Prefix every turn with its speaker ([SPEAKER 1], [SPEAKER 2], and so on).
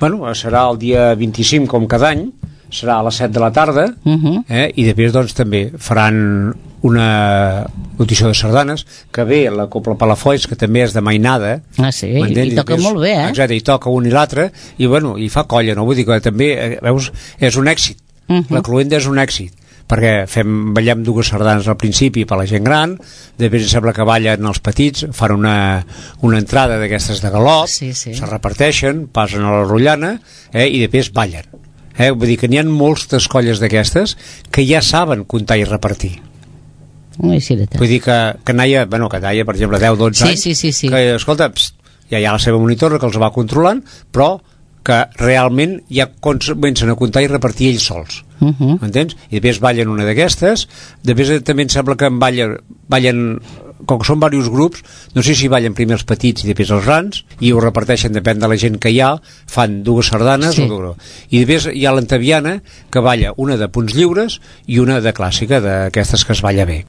[SPEAKER 1] Bueno, serà el dia 25 com cada any, serà a les 7 de la tarda, i després doncs també faran una audició de sardanes, que ve la Copla Palafolls, que també és de mainada.
[SPEAKER 2] Sí, i toca molt bé,
[SPEAKER 1] Exacte, i toca un i l'altre, i bueno, i fa colla, no? Vull dir que també, veus, és un èxit. La Cluenda és un èxit, perquè ballem dues sardanes al principi per la gent gran, després sembla que ballen els petits, fan una entrada d'aquestes de galop, se reparteixen, passen a la rotllana, i després ballen. Vull dir que n'hi ha moltes colles d'aquestes que ja saben comptar i repartir. Vull dir que Naia, per exemple, 10-12 anys, que, escolta, ja hi ha la seva monitora que els va controlant, però que realment ja comencen a comptar i repartir ells sols. Entens? I després ballen una d'aquestes, després també em sembla que ballen, com que són diversos grups, no sé si ballen primer els petits i després els grans, i ho reparteixen, depèn de la gent que hi ha, fan dues sardanes, i després hi ha l'antaviana, que balla una de punts lliures i una de clàssica, d'aquestes que es balla bé.